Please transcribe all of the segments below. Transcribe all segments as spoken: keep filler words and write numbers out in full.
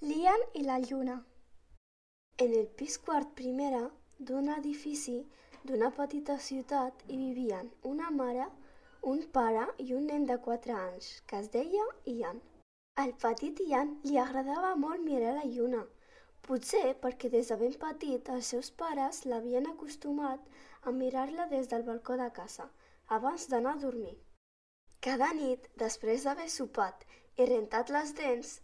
Lian i la lluna. En el pis quart primera d'un edifici d'una petita ciutat hi vivien una mare, un pare i un nen de quatre anys, que es deia Ian. Al petit Ian li agradava molt mirar la lluna, potser perquè des de ben petit els seus pares l'havien acostumat a mirar-la des del balcó de casa, abans d'anar a dormir. Cada nit, després d'haver sopat i rentat les dents,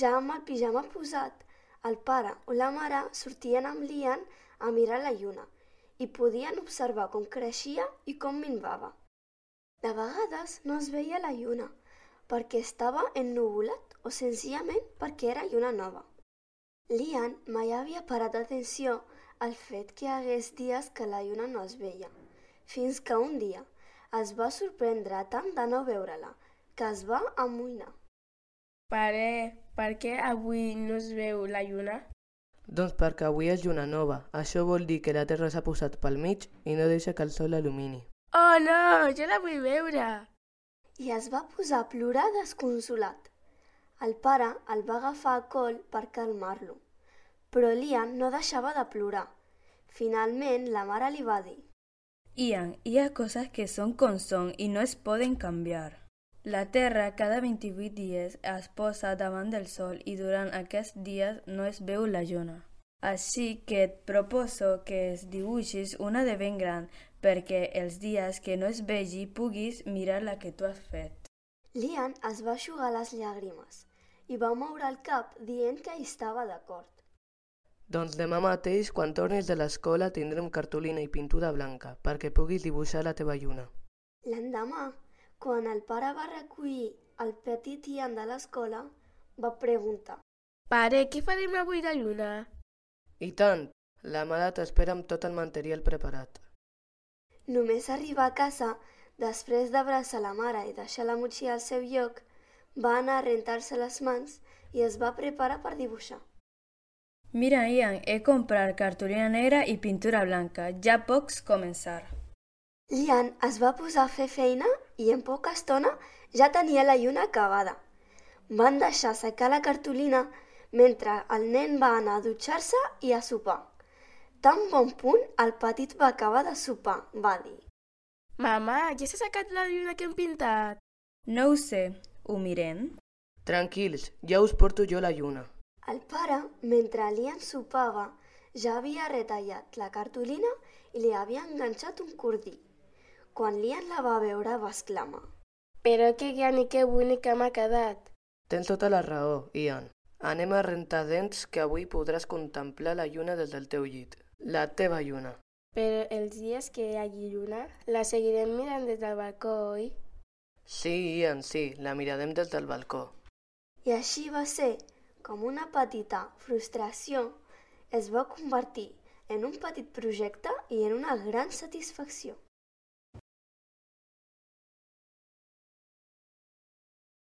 ja amb el pijama posat, el pare o la mare sortien amb l'Ian a mirar la lluna i podien observar com creixia i com minvava. De vegades no es veia la lluna perquè estava ennuvolat o senzillament perquè era lluna nova. L'Ian mai havia parat atenció al fet que hi hagués dies que la lluna no es veia, fins que un dia es va sorprendre tant de no veure-la que es va amoïnar. Pare, per què avui no es veu la lluna? Doncs perquè avui és lluna nova. Això vol dir que la Terra s'ha posat pel mig i no deixa que el sol l'il·lumini. Oh no, jo la vull veure! I es va posar a plorar desconsolat. El pare el va agafar a col per calmar-lo, però l'Ian no deixava de plorar. Finalment, la mare li va dir: Ian, hi ha coses que són com són i no es poden canviar. La Terra cada vint-i-vuit dies es posa davant del Sol i durant aquests dies no es veu la lluna. Així que et proposo que es dibuixis una de ben gran perquè els dies que no es vegi puguis mirar la que tu has fet. L'Ian es va eixugar les llàgrimes i va moure el cap dient que hi estava d'acord. Doncs demà mateix, quan tornis de l'escola, tindrem cartolina i pintura blanca perquè puguis dibuixar la teva lluna. L'endemà, quan el pare va recollir el petit Ian de l'escola, va preguntar: Pare, què farem avui de lluna? I tant! La mare t'espera amb tot el material preparat. Només arribar a casa, després d'abraçar la mare i deixar la motxilla al seu lloc, va anar a rentar-se les mans i es va preparar per dibuixar. Mira, Ian, he comprat cartolina negra i pintura blanca. Ja pots començar. L'Ian es va posar a fer feina i en poca estona ja tenia la lluna acabada. Van deixar secar la cartolina mentre el nen va anar a dutxar-se i a sopar. Tan bon punt el petit va acabar de sopar, va dir: Mama, ja s'ha secat la lluna que hem pintat? No ho sé, ho mirem? Tranquils, ja us porto jo la lluna. El pare, mentre l'Ian sopava, ja havia retallat la cartolina i li havia enganxat un cordí. Quan l'Ian la va veure, va exclamar: Però que gran i que bonica m'ha quedat! Tens tota la raó, Ian. Anem a rentar dents que avui podràs contemplar la lluna des del teu llit. La teva lluna. Però els dies que hi hagi lluna, la seguirem mirant des del balcó, oi? Sí, Ian, sí, la mirarem des del balcó. I així va ser com una petita frustració es va convertir en un petit projecte i en una gran satisfacció.